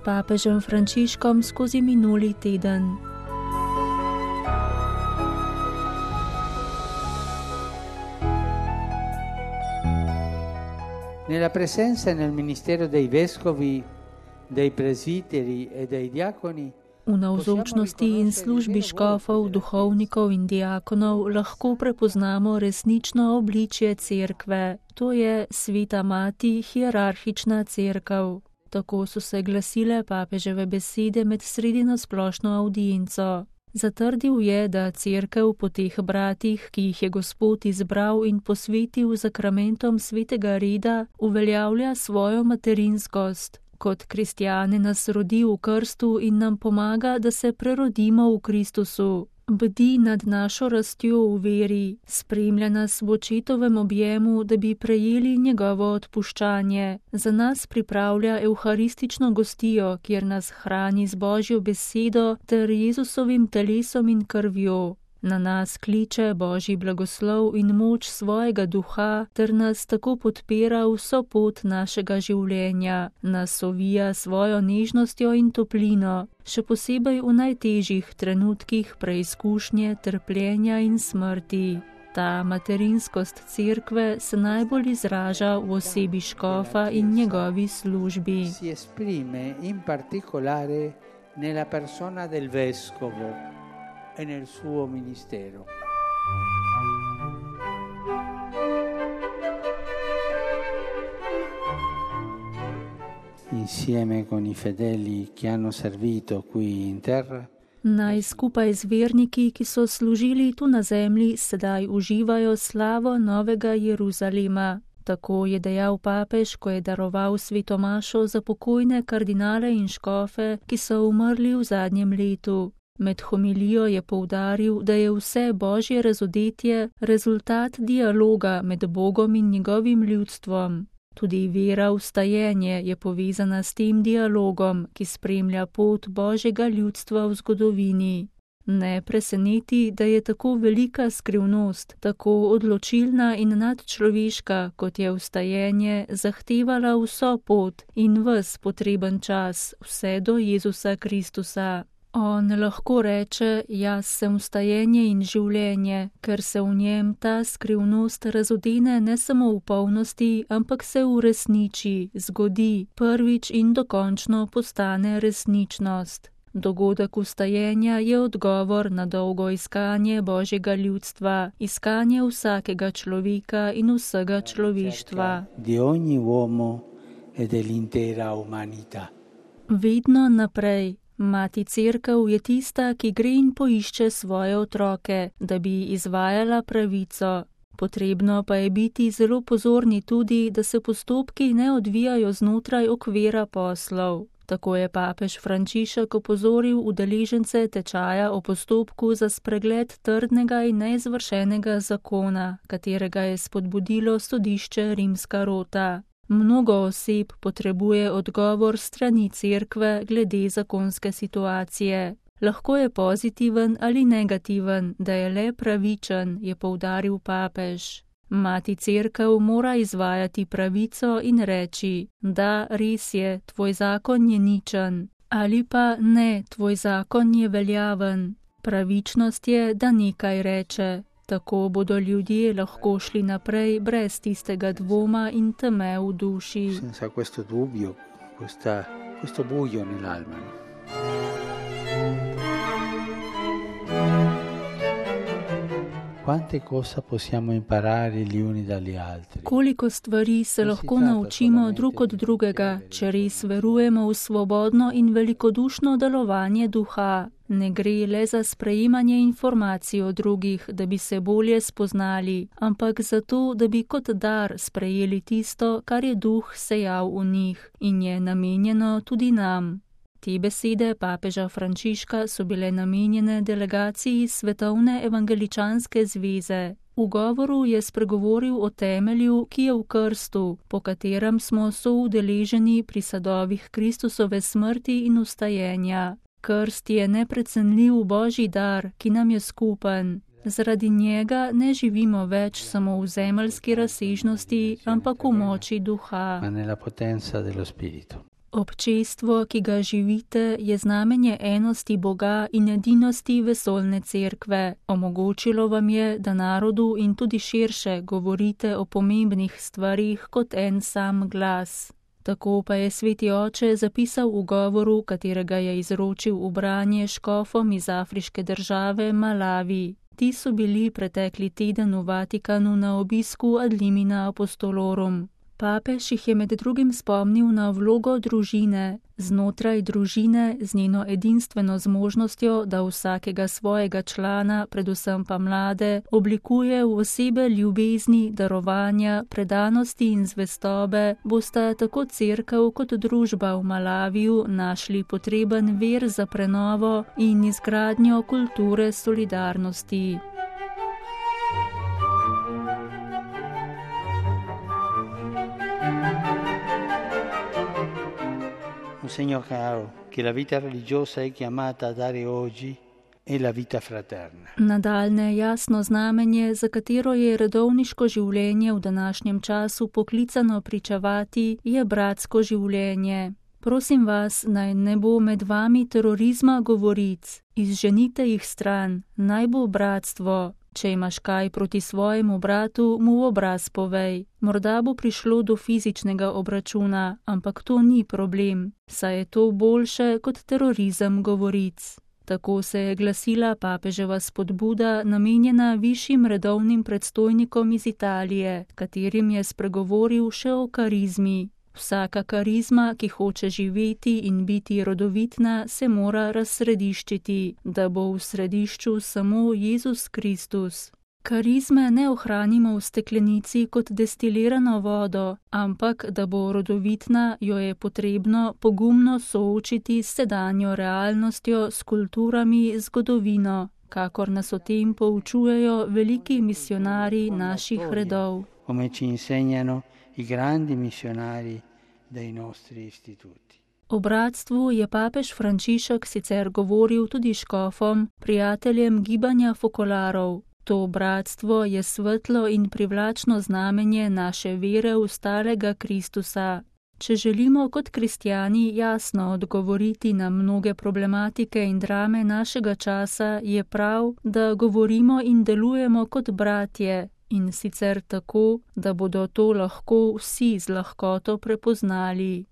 papežem Frančiškom skozi minuli teden. Nella presenza nel ministero dei vescovi, dei presbiteri e dei diaconi V navzočnosti in službi škofov, duhovnikov in diakonov lahko prepoznamo resnično obličje cerkve, to je sveta mati, hierarhična cerkev. Tako so se glasile papeževe besede med sredino splošno avdienco. Zatrdil je, da cerkev po teh bratih, ki jih je Gospod izbral in posvetil zakramentom svetega reda, uveljavlja svojo materinskost. Kot kristjane nas rodi v krstu in nam pomaga, da se prerodimo v Kristusu. Bdi nad našo rastjo v veri, spremlja nas v očetovem objemu, da bi prejeli njegovo odpuščanje. Za nas pripravlja evharistično gostijo, kjer nas hrani z Božjo besedo ter Jezusovim telesom in krvjo. Na nas kliče Božji blagoslov in moč svojega duha, ter nas tako podpira vso pot našega življenja, nas ovija svojo nežnostjo in toplino, še posebej v najtežjih trenutkih preizkušnje, trpljenja in smrti. Ta materinskost cerkve se najbolj izraža v osebi škofa in njegovi službi. Si esprime in particolare nella persona del vescovo e nel suo ministero. Insieme con i fedeli che hanno servito qui in terra, Naj skupaj z verniki, ki so služili tu na zemlji, sedaj uživajo slavo novega Jeruzalema. Tako je dejal papež, ko je daroval svetomašo za pokojne kardinale in škofe, ki so umrli v zadnjem letu. Med homilijo je poudaril, da je vse Božje razodetje rezultat dialoga med Bogom in njegovim ljudstvom. Tudi vera v stajenje je povezana s tem dialogom, ki spremlja pot Božjega ljudstva v zgodovini. Ne preseneti, da je tako velika skrivnost, tako odločilna in nadčloveška, kot je vstajenje, zahtevala vso pot in ves potreben čas, vse do Jezusa Kristusa. On lahko reče, jaz sem vstajenje in življenje, ker se v njem ta skrivnost razodene ne samo v polnosti, ampak se uresniči, zgodi, prvič in dokončno postane resničnost. Dogodek vstajenja je odgovor na dolgo iskanje Božjega ljudstva, iskanje vsakega človeka in vsega človeštva. Di ogni uomo e dell'intera umanità. Vedno naprej. Mati cerkev je tista, ki gre in poišče svoje otroke, da bi izvajala pravico. Potrebno pa je biti zelo pozorni tudi, da se postopki ne odvijajo znotraj okvira poslov. Tako je papež Frančišek opozoril udeležence tečaja o postopku za spregled trdnega in neizvršenega zakona, katerega je spodbudilo sodišče Rimska Rota. Mnogo oseb potrebuje odgovor strani cerkve glede zakonske situacije. Lahko je pozitiven ali negativen, da je le pravičen, je poudaril papež. Mati cerkev mora izvajati pravico in reči, da res je, tvoj zakon je ničen, ali pa ne, tvoj zakon je veljaven. Pravičnost je, da nekaj reče. Tako bodo ljudje lahko šli naprej brez tistega dvoma in teme v duši. Senza questo dubbio, questo buio nell'alma. Quante cose possiamo imparare gli uni dagli altri? Koliko stvari se lahko naučimo drug od drugega, če res verujemo v svobodno in velikodušno delovanje duha. Ne gre le za sprejemanje informacij o drugih, da bi se bolje spoznali, ampak zato, da bi kot dar sprejeli tisto, kar je duh sejal v njih in je namenjeno tudi nam. Te besede papeža Frančiška so bile namenjene delegaciji Svetovne evangeličanske zveze. V govoru je spregovoril o temelju, ki je v krstu, po katerem smo soudeleženi pri sadovih Kristusove smrti in vstajenja. Krst je neprecenljiv Božji dar, ki nam je skupen. Zaradi njega ne živimo več samo v zemeljski razsežnosti, ampak v moči duha. Občestvo, ki ga živite, je znamenje enosti Boga in edinosti vesoljne cerkve. Omogočilo vam je, da narodu in tudi širše govorite o pomembnih stvarih kot en sam glas. Tako pa je sveti oče zapisal v govoru, katerega je izročil v branje škofom iz afriške države Malavi. Ti so bili pretekli teden v Vatikanu na obisku ad limina apostolorum. Papež jih je med drugim spomnil na vlogo družine. Znotraj družine z njeno edinstveno zmožnostjo, da vsakega svojega člana, predvsem pa mlade, oblikuje v osebe ljubezni, darovanja, predanosti in zvestobe, bosta tako cerkev kot družba v Malaviju našli potreben vir za prenovo in izgradnjo kulture solidarnosti. Un segno chiaro che la vita religiosa è chiamata a dare oggi è la vita fraterna. Nadaljne jasno znamenje, za katero je redovniško življenje v današnjem času poklicano pričevati, je bratsko življenje. Prosim vas, naj ne bo med vami terorizma govoric, izženite jih stran, naj bo bratstvo. Če imaš kaj proti svojemu bratu, mu v obraz povej. Morda bo prišlo do fizičnega obračuna, ampak to ni problem, saj je to boljše kot terorizem govoric. Tako se je glasila papeževa spodbuda, namenjena višjim redovnim predstojnikom iz Italije, katerim je spregovoril še o karizmi. Vsaka karizma, ki hoče živeti in biti rodovitna, se mora razsrediščiti, da bo v središču samo Jezus Kristus. Karizme ne ohranimo v steklenici kot destilirano vodo, ampak da bo rodovitna, jo je potrebno pogumno soočiti s sedanjo realnostjo, s kulturami, zgodovino, kakor nas o tem poučujejo veliki misionarji naših redov. Come ci insegnano i grandi missionari dei nostri istituti. O bratstvu je papež Frančišek sicer govoril tudi škofom, prijateljem gibanja fokolarov. To bratstvo je svetlo in privlačno znamenje naše vere v starega Kristusa. Če želimo kot kristjani jasno odgovoriti na mnoge problematike in drame našega časa, je prav, da govorimo in delujemo kot bratje, in sicer tako, da bodo to lahko vsi z lahkoto prepoznali.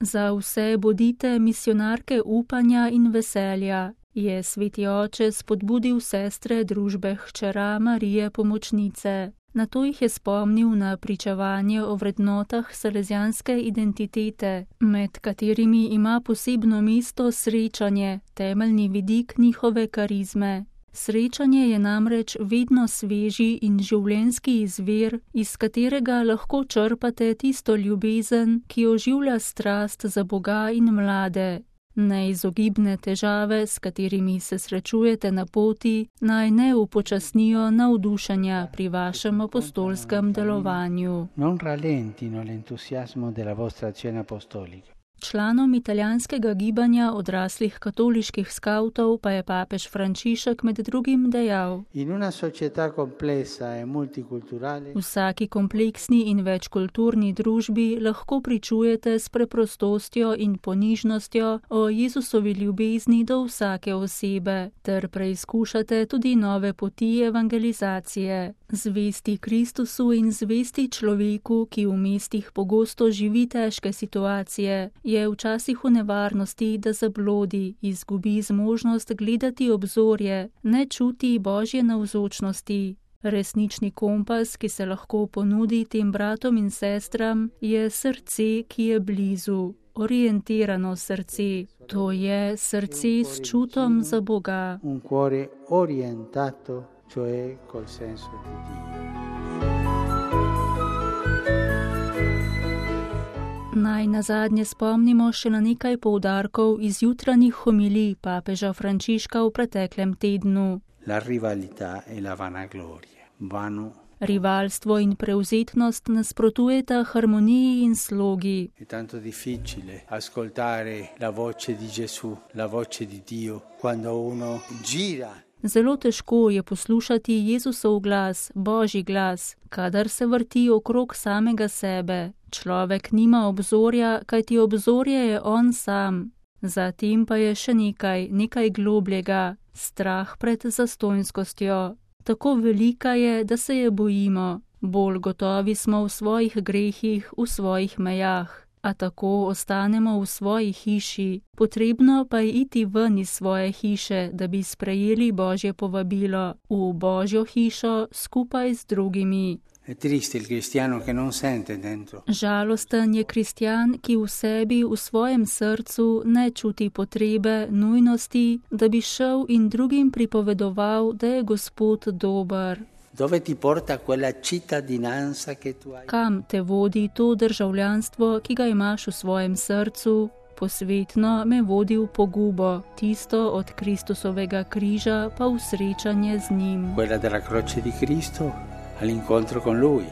Za vse bodite misionarke upanja in veselja, je sveti oče spodbudil sestre družbe hčera Marije Pomočnice. Nato jih je spomnil na pričevanje o vrednotah salezijanske identitete, med katerimi ima posebno mesto srečanje, temeljni vidik njihove karizme. Srečanje je namreč vedno sveži in življenjski izvir, iz katerega lahko črpate tisto ljubezen, ki oživlja strast za Boga in mlade. Neizogibne težave, s katerimi se srečujete na poti, naj ne upočasnijo navdušenja pri vašem apostolskem delovanju. Non rallentino l'entusiasmo della vostra azione apostolica. Članom italijanskega gibanja odraslih katoliških skavtov pa je papež Frančišek med drugim dejal: V vsaki kompleksni in večkulturni družbi lahko pričujete s preprostostjo in ponižnostjo o Jezusovi ljubezni do vsake osebe, ter preizkušate tudi nove poti evangelizacije. Zvesti Kristusu in zvesti človeku, ki v mestih pogosto živi težke situacije, je včasih v nevarnosti, da zablodi, izgubi zmožnost gledati obzorje, ne čuti Božje navzočnosti. Resnični kompas, ki se lahko ponudi tem bratom in sestram, je srce, ki je blizu, orientirano srce. To je srce s čutom za Boga. Un cuore orientato, cioè col senso di Dio. Naj nazadnje spomnimo še na nekaj poudarkov iz jutranjih homilij papeža Frančiška v preteklem tednu. La rivalità e la vanagloria vanno. Rivalstvo in prevzetnost nasprotujeta harmoniji in slogi. È tanto difficile ascoltare la voce di Gesù, la voce di Dio, quando uno gira. Zelo težko je poslušati Jezusov glas, Božji glas, kadar se vrti okrog samega sebe. Človek nima obzorja, kajti obzorje je on sam. Zatem pa je še nekaj globljega, strah pred zastonjskostjo. Tako velika je, da se je bojimo. Bolj gotovi smo v svojih grehih, v svojih mejah, a tako ostanemo v svoji hiši. Potrebno pa je iti ven iz svoje hiše, da bi sprejeli Božje povabilo v Božjo hišo skupaj z drugimi. Žalosten je kristjan, ki v sebi, v svojem srcu ne čuti potrebe, nujnosti, da bi šel in drugim pripovedoval, da je Gospod dober. Kam te vodi to državljanstvo, ki ga imaš v svojem srcu? Posvetno me vodi v pogubo, tisto od Kristusovega križa pa v srečanje z njim. Quella della croce di Cristo all'incontro con Lui.